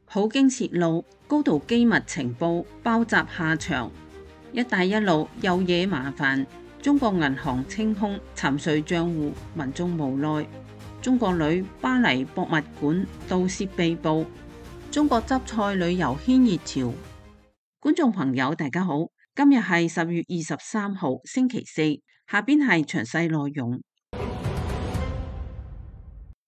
普京泄露高度機密情報爆襲下場，一帶一路又惹麻煩，中國銀行清空沉睡賬戶，民眾無奈。中國女巴黎博物館盜竊被捕，中國汁菜旅遊牽熱潮。觀眾朋友大家好，今日係10月23號星期四，下邊係詳細內容。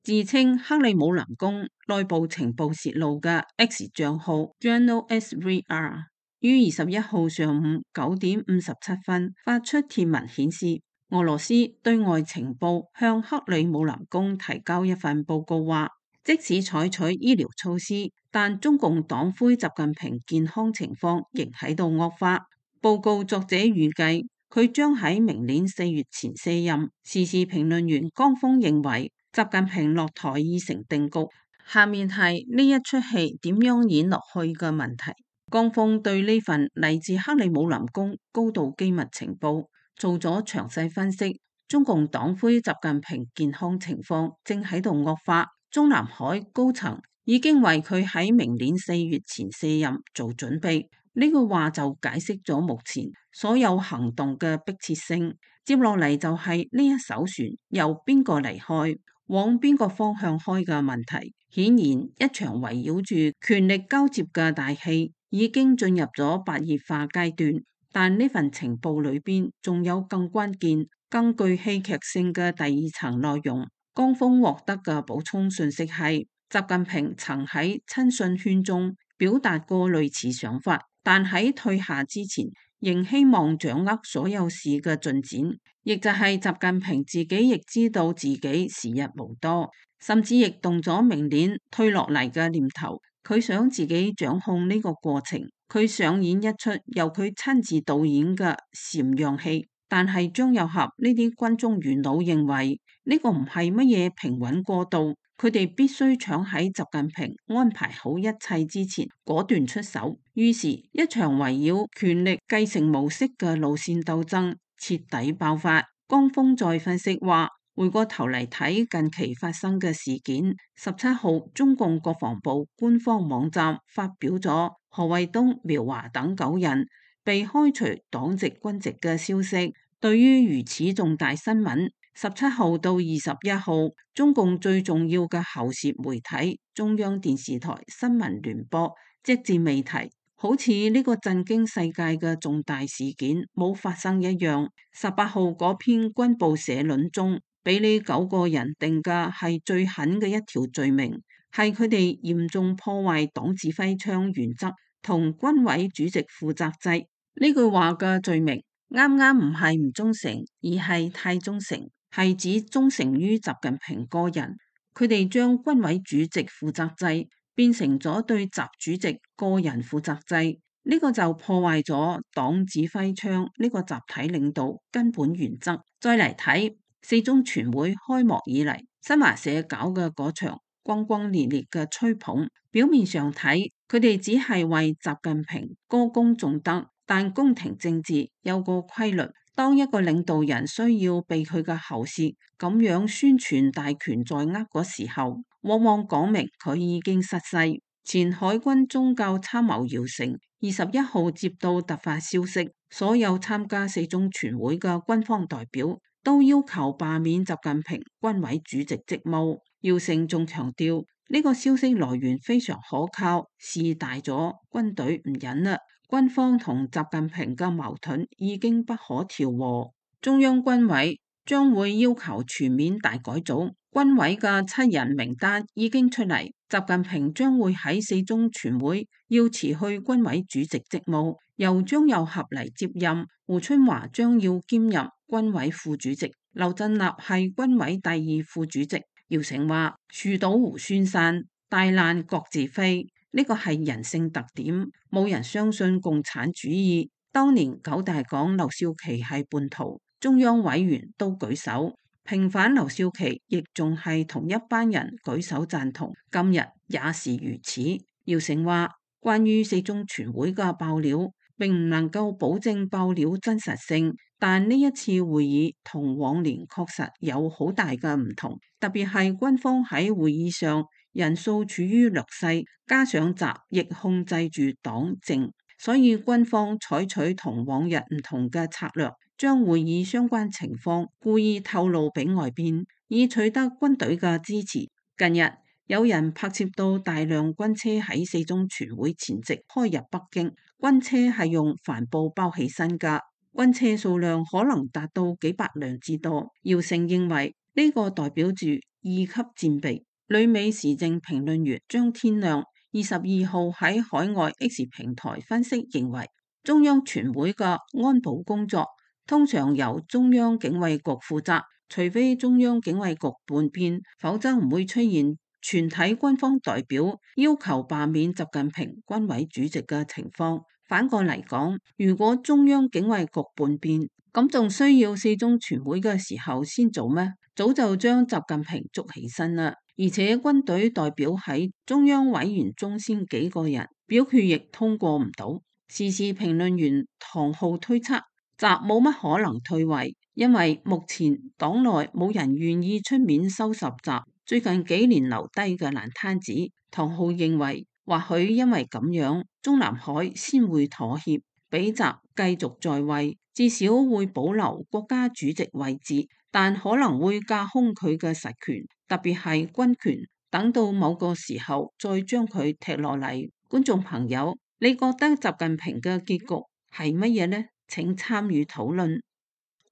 自稱克里姆林宮內部情報泄露嘅 X 賬號 Journal SVR 於21號上午9點57分發出貼文顯示，俄羅斯對外情報向克里姆林宮提交一份報告，話即使採取醫療措施，但中共黨魁習近平健康情況仍喺度惡化。報告作者預計佢將喺明年4月前卸任。時事評論員江峰認為，習近平落台已成定局，下面係呢一出戲點樣演落去嘅問題。江峰對呢份嚟自克里姆林宮高度機密情報做咗詳細分析。中共黨魁習近平健康情況正喺度惡化，中南海高層已經為佢喺明年4月前卸任做準備。呢句話就解釋咗目前所有行動嘅迫切性。接落嚟就係呢一艘船由邊個離開，往邊個方向開嘅問題。顯然，一場圍繞住權力交接嘅大戲已經進入咗白熱化階段。但呢份情報裏邊仲有更關鍵、更具戲劇性嘅第二層內容。江峰獲得嘅補充信息係，習近平曾喺親信圈中表達過類似想法，但喺退下之前，仍希望掌握所有事嘅進展，亦就係習近平自己亦知道自己時日無多，甚至亦動咗明年退落嚟嘅念頭。佢想自己掌控呢個過程，佢上演一出由佢親自導演嘅禪讓戲。但係張又俠呢啲軍中元老認為呢個唔係乜嘢平穩過渡，佢哋必須搶喺習近平安排好一切之前果斷出手。於是，一場圍繞權力繼承模式嘅路線鬥爭徹底爆發。江峰再分析話，回過頭嚟睇近期發生嘅事件，17號中共國防部官方網站發表咗何衛東、苗華等9人被開除黨籍軍籍嘅消息。對於如此重大新聞，17號到21號，中共最重要嘅喉舌媒體中央電視台新聞聯播隻字未提，好似呢個震驚世界嘅重大事件冇發生一樣。18號嗰篇軍報社論中，俾呢9個人定嘅係最狠嘅一條罪名，係佢哋嚴重破壞黨指揮槍原則同軍委主席負責制。呢句話嘅罪名啱啱唔係唔忠誠，而係太忠誠，係指忠誠於習近平個人。佢哋將軍委主席負責制變成咗對習主席個人負責制，呢個就破壞咗黨指揮槍呢個集體領導根本原則。再嚟睇四中全會開幕以嚟，新華社搞嘅嗰場轟轟烈烈嘅吹捧，表面上睇佢哋只係為習近平歌功頌德，但宮廷政治有個規律，當一個領導人需要被佢嘅喉舌咁樣宣傳大權在握嗰時候，往往講明佢已經失勢。前海軍宗教參謀姚成21號接到突發消息，所有參加四中全會嘅軍方代表都要求罷免習近平軍委主席職務。姚成仲強調呢個消息來源非常可靠，事大咗，軍隊唔忍啦，軍方同習近平嘅矛盾已經不可調和，中央軍委將會要求全面大改組。軍委嘅7人名單已經出嚟，習近平將會喺四中全會要辭去軍委主席職務，由張又俠嚟接任。胡春華將要兼任軍委副主席，劉振立係軍委第2副主席。姚成話：樹倒猢猻散，大難各自飛，呢個係人性特點，冇人相信共產主義。當年9大講劉少奇係叛徒，中央委員都舉手平反劉少奇，亦仲係同一班人舉手贊同，今日也是如此。姚成話：關於四中全會嘅爆料，並唔能夠保證爆料真實性，但呢一次會議同往年確實有好大嘅唔同，特別係軍方喺會議上人數處於劣勢，加上習亦控制住黨政，所以軍方採取同往日唔同嘅策略，將會議相關情況故意透露俾外邊，以取得軍隊嘅支持。近日有人拍攝到大量軍車喺四中全會前夕開入北京，軍車係用帆布包起身㗎，軍車數量可能達到幾百輛之多。姚成認為呢個代表住二級戰備。旅美時政評論員張天亮22號喺海外 X 平台分析認為，中央全會嘅安保工作通常由中央警衛局負責，除非中央警衛局叛變，否則唔會出現全體軍方代表要求罷免習近平軍委主席嘅情況。反過嚟講，如果中央警衛局叛變，咁仲需要四中全會嘅時候先做咩？早就將習近平捉起身啦。而且軍隊代表喺中央委員中先幾個人，表決亦通過唔到。時事評論員唐浩推測，習冇乜可能退位，因為目前黨內冇人願意出面收拾習最近幾年留低嘅爛攤子。唐浩認為，或許因為咁樣，中南海先會妥協，俾習繼續在位，至少會保留國家主席位置，但可能會架空佢嘅實權，特別係軍權，等到某個時候再將佢踢落嚟。觀眾朋友，你覺得習近平嘅結局係乜嘢呢？請參與討論。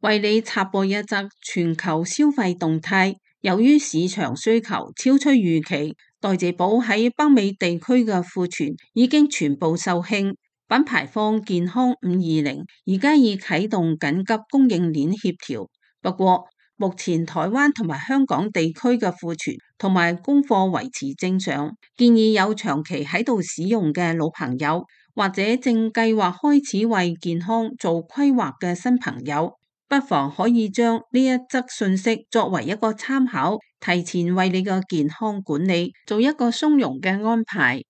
為你插播一則全球消費動態，由於市場需求超出預期，代謝寶喺北美地區嘅庫存已經全部售罄。品牌方健康520而家已啟動緊急供應鏈協調，不過目前台灣同埋香港地區嘅庫存同埋供貨維持正常，建議有長期喺度使用嘅老朋友，或者正計劃開始為健康做規劃嘅新朋友，不妨可以將呢一則信息作為一個參考，提前為你嘅健康管理做一個鬆容嘅安排。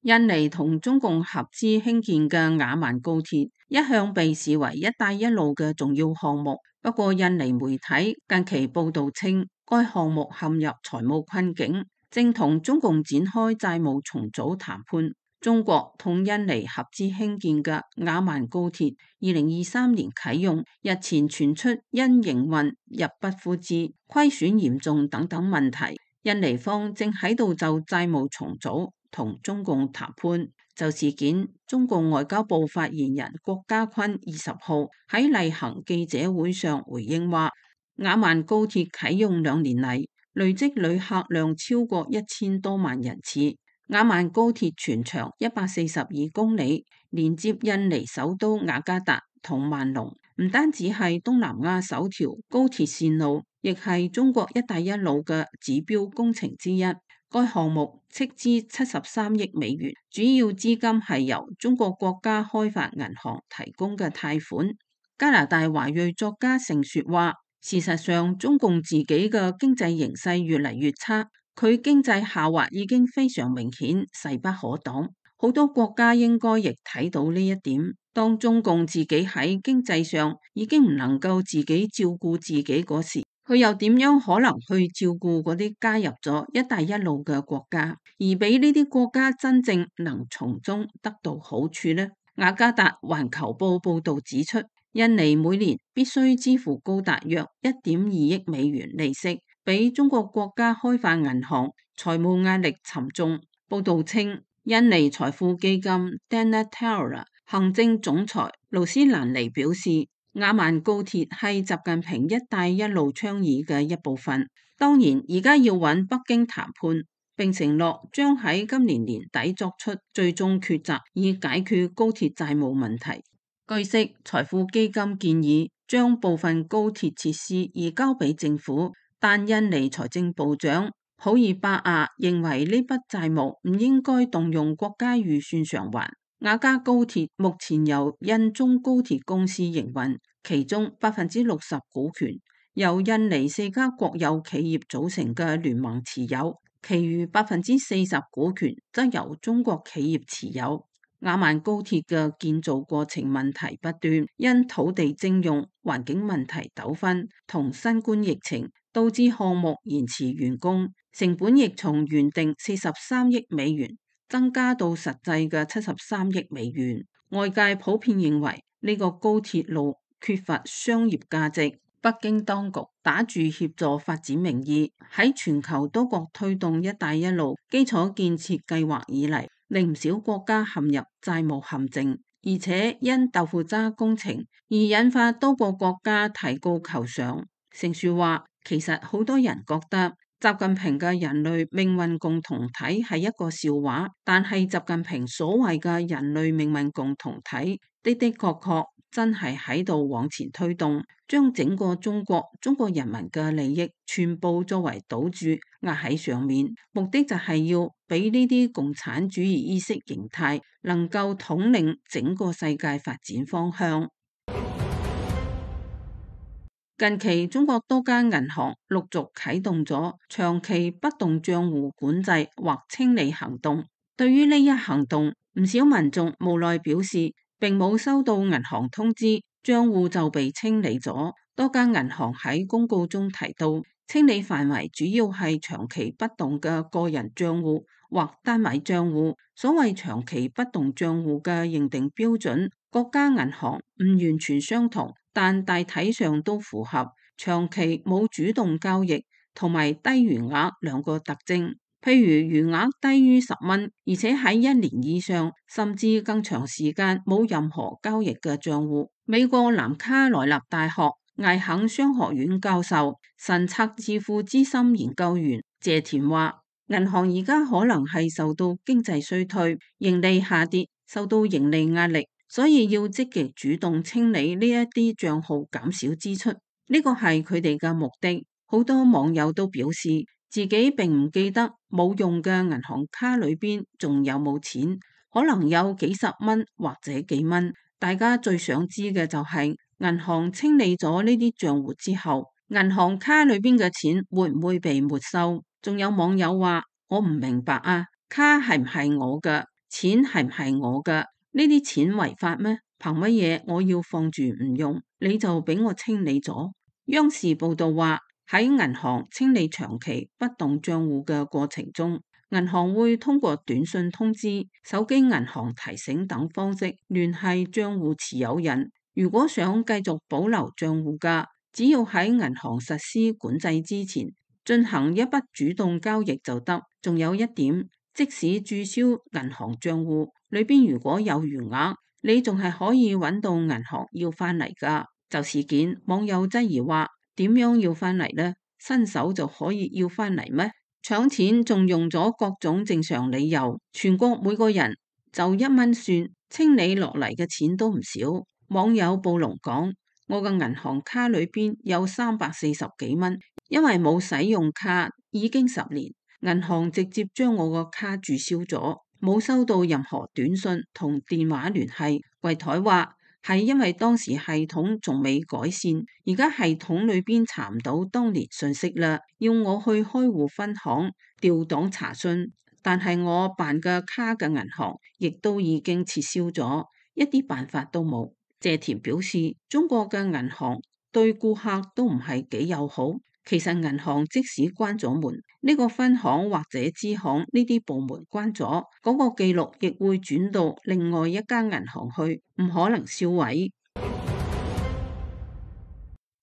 印尼同中共合資興建嘅雅萬高鐵一向被視為一帶一路嘅重要項目，不過印尼媒體近期報道稱，該項目陷入財務困境，正同中共展開債務重組談判。中國同印尼合資興建嘅雅萬高鐵2023年啟用，日前傳出因營運入不敷支、虧損嚴重等等問題，印尼方正喺度就債務重組同中共談判。就事件，中共外交部發言人郭家坤20號喺例行記者會上回應話，雅萬高鐵啟用2年嚟，累積旅客量超過1000多萬人次。雅萬高鐵全長142公里，連接印尼首都雅加達同萬隆，唔單止係東南亞首條高鐵線路，亦係中國一帶一路嘅指標工程之一。該項目斥資73億美元，主要資金係由中國國家開發銀行提供嘅貸款。加拿大華裔作家盛雪話，事實上中共自己嘅經濟形勢越嚟越差，佢經濟下滑已經非常明顯，勢不可擋。好多國家應該亦睇到呢一點。當中共自己喺經濟上已經唔能夠自己照顧自己嗰時，佢又點樣可能去照顧嗰啲加入咗一帶一路嘅國家，而俾呢啲國家真正能從中得到好處呢？雅加達環球報報道指出，印尼每年必須支付高達約1.2億美元利息，俾中國國家開發銀行，財務壓力沉重。報道稱，印尼財富基金 Dana Tower 行政總裁盧斯蘭尼表示，雅萬高鐵係習近平一帶一路倡議嘅一部分。當然，而家要揾北京談判，並承諾將喺今年年底作出最終抉擇，以解決高鐵債務問題。據悉，財富基金建議將部分高鐵設施移交俾政府，但印尼財政部長普爾巴亞認為呢筆債務唔應該動用國家預算償還。雅加高鐵目前由印中高鐵公司營運，其中60%股權由印尼4家國有企業組成嘅聯盟持有，其餘40%股權則由中國企業持有。雅萬高鐵嘅建造過程問題不斷，因土地徵用、環境問題糾紛同新冠疫情，導致項目延遲完工，成本亦從原定43億美元增加到實際嘅73億美元。外界普遍認為呢個高鐵路缺乏商業價值。北京當局打住協助發展名義，喺全球多國推動一帶一路基礎建設計劃以嚟，令唔少國家陷入債務陷阱，而且因豆腐渣工程而引發多個國家提告求償。盛樹話，其實好多人覺得習近平嘅人類命運共同體係一個笑話，但係習近平所謂嘅人類命運共同體的確真係喺度往前推動，將整個中國人民嘅利益全部作為賭注壓喺上面，目的就係要俾呢啲共產主義意識形態能夠統領整個世界發展方向。近期中國多間銀行陸續啟動咗長期不動賬戶管制或清理行動。對於呢一行動，唔少民眾無奈表示，並冇收到銀行通知，賬戶就被清理咗。多間銀行喺公告中提到，清理範圍主要係長期不動嘅個人賬戶或單位賬戶。所謂長期不動賬戶嘅認定標準，各家銀行唔完全相同，但大體上都符合長期冇主動交易同埋低餘額兩個特徵。譬如餘額低於10蚊，而且喺1年以上甚至更長時間冇任何交易嘅賬戶。美國南卡羅來納大學艾肯商學院教授、神策智庫資深研究員謝田話，銀行而家可能係受到經濟衰退、盈利下跌，受到盈利壓力，所以要積極主動清理呢一啲賬號，減少支出。呢個係佢哋嘅目的。好多網友都表示，自己並唔記得冇用嘅銀行卡裏邊仲有冇錢，可能有幾十蚊或者幾蚊。大家最想知嘅就係銀行清理咗呢啲賬戶之後，銀行卡裏邊嘅錢會唔會被沒收？仲有網友話，我唔明白啊，卡係唔係我嘅？錢係唔係我嘅？呢啲錢違法咩？憑乜嘢我要放住唔用，你就俾我清理咗？央視報道話，喺銀行清理長期不動賬戶嘅過程中，銀行會通過短信通知、手機銀行提醒等方式聯繫賬戶持有人。如果想繼續保留賬戶嘅，只要喺銀行實施管制之前進行一筆主動交易就得。仲有一點，即使註銷銀行賬戶裏邊如果有餘額，你仲係可以揾到銀行要翻嚟噶。就事件，網友質疑話，點樣要翻嚟呢？新手就可以要翻嚟咩？搶錢仲用咗各種正常理由，全國每個人就1蚊算，清理落嚟嘅錢都唔少。網友暴龍講，我嘅銀行卡裏邊有340幾蚊，因為冇使用卡已經10年，銀行直接將我個卡註銷咗，冇收到任何短信同電話聯繫。櫃台話，係因為當時系統仲未改善，而家系統裏邊查唔到當年信息啦，要我去開戶分行調檔查詢，但係我辦嘅卡嘅銀行亦都已經撤銷咗，一啲辦法都冇。謝田表示，中國嘅銀行對顧客都唔係幾友好。其實銀行即使關咗門，呢個分行或者支行呢啲部門關咗，嗰個記錄亦會轉到另外一家銀行去，唔可能銷毀。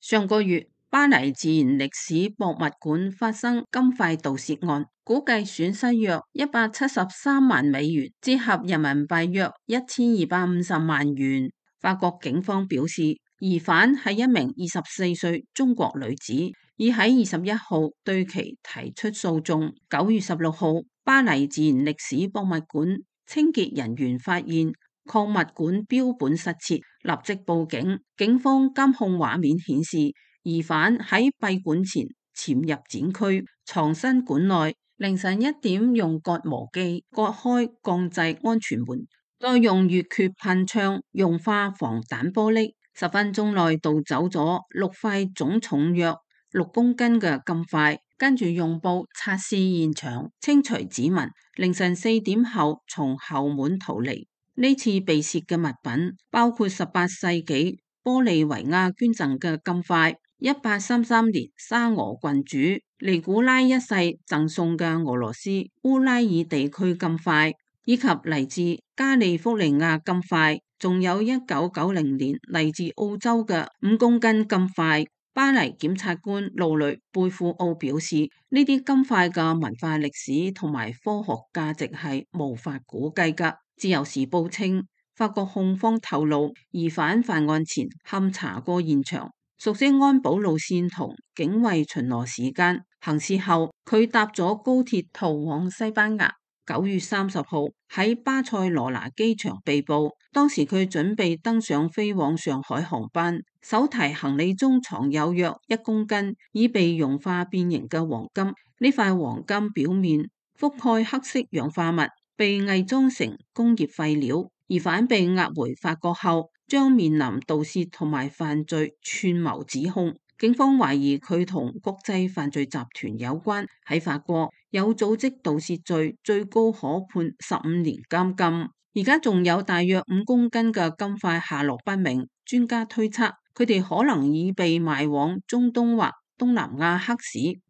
上個月，巴黎自然歷史博物館發生金塊盜竊案，估計損失約173萬美元，折合人民幣約1250萬元。法國警方表示，疑犯係一名24歲中國女子，已喺21號對其提出訴訟。9月16號，巴黎自然歷史博物館清潔人員發現礦物館標本失竊，立即報警。警方監控畫面顯示，疑犯喺閉館前潛入展區，藏身館內。凌晨1點用割磨機割開鋼製安全門，再用乙炔噴槍融化防彈玻璃。10分鐘內盜走咗6塊總重約6公斤嘅金塊，跟住用布擦拭現場，清除指紋。凌晨4點後從後門逃離。呢次被竊嘅物品包括18世紀玻利維亞捐贈嘅金塊、1833年沙俄郡主尼古拉一世贈送嘅俄羅斯烏拉爾地區金塊，以及嚟自加利福尼亞金塊，仲有1990年嚟自澳洲嘅5公斤金塊。巴黎檢察官盧雷貝庫奧表示，呢啲金塊嘅文化歷史同埋科學價值係無法估計㗎。自由時報稱，法國控方透露，疑犯犯案前勘查過現場，熟悉安保路線同警衛巡邏時間。行事後，佢搭咗高鐵逃往西班牙。9月30號喺巴塞羅那機場被捕，當時佢準備登上飛往上海航班，手提行李中藏有約1公斤已被融化變形嘅黃金。呢塊黃金表面覆蓋黑色氧化物，被偽裝成工業廢料。疑犯被押回法國後，將面臨盜竊同埋犯罪串謀指控。警方懷疑佢同國際犯罪集團有關。喺法國有組織盜竊罪，最高可判15年監禁。而家仲有大約5公斤嘅金塊下落不明，專家推測佢哋可能已被賣往中東或東南亞黑市。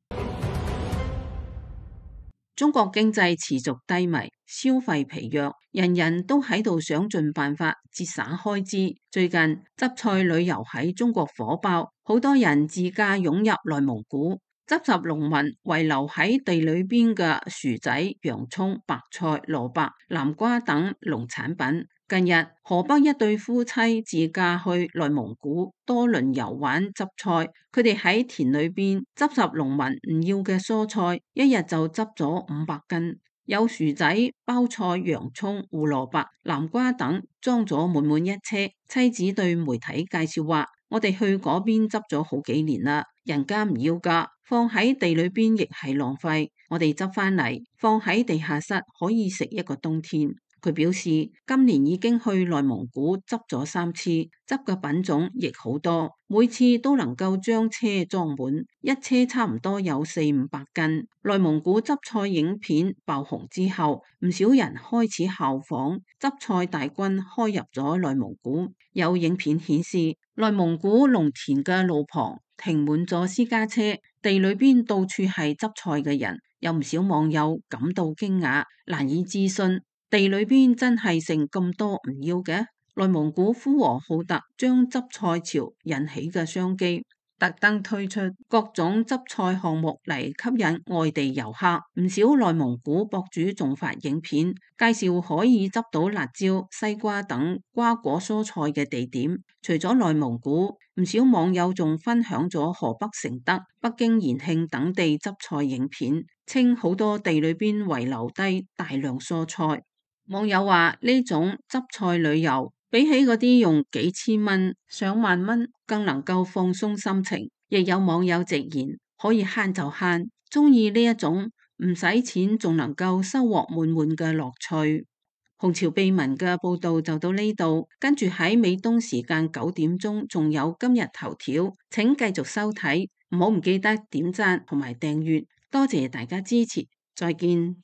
中國經濟持續低迷，消費疲弱，人人都喺度想盡辦法節省開支。最近執菜旅遊喺中國火爆，好多人自駕湧入內蒙古，執拾農民遺留喺地裏邊嘅薯仔、洋蔥、白菜、蘿蔔、南瓜等農產品。近日，河北一對夫妻自駕去內蒙古多倫遊玩執菜，佢哋喺田裏邊執拾農民唔要嘅蔬菜，一日就執咗500斤，有薯仔、包菜、洋蔥、胡蘿蔔、南瓜等，裝咗滿滿一車。妻子對媒體介紹話：我哋去嗰邊執咗好幾年啦，人家唔要㗎，放喺地裏邊亦係浪費，我哋執返嚟放喺地下室可以食一個冬天。佢表示，今年已經去內蒙古執咗3次，執嘅品種亦好多，每次都能夠將車裝滿，一車差唔多有400-500斤。內蒙古執菜影片爆紅之後，唔少人開始效仿，執菜大軍開入咗內蒙古。有影片顯示，內蒙古農田嘅路旁停滿咗私家車，地裏邊到處係執菜嘅人，有唔少網友感到驚訝，難以置信。地裏邊真係剩咁多唔要嘅。內蒙古呼和浩特將執菜潮引起嘅商機，特登推出各種執菜項目嚟吸引外地遊客。唔少內蒙古博主仲發影片介紹可以執到辣椒、西瓜等瓜果蔬菜嘅地點。除咗內蒙古，唔少網友仲分享咗河北承德、北京延慶等地執菜影片，稱好多地裏邊遺留低大量蔬菜。網友話呢種執菜旅遊比起嗰啲用幾千蚊、上萬蚊更能夠放鬆心情。亦有網友直言可以慳就慳，中意呢一種唔使錢仲能夠收穫滿滿嘅樂趣。紅潮秘聞嘅報道就到呢度，跟住喺美東時間9點鐘仲有今日頭條，請繼續收睇，唔記得點讚同埋訂閱，多謝大家支持，再見。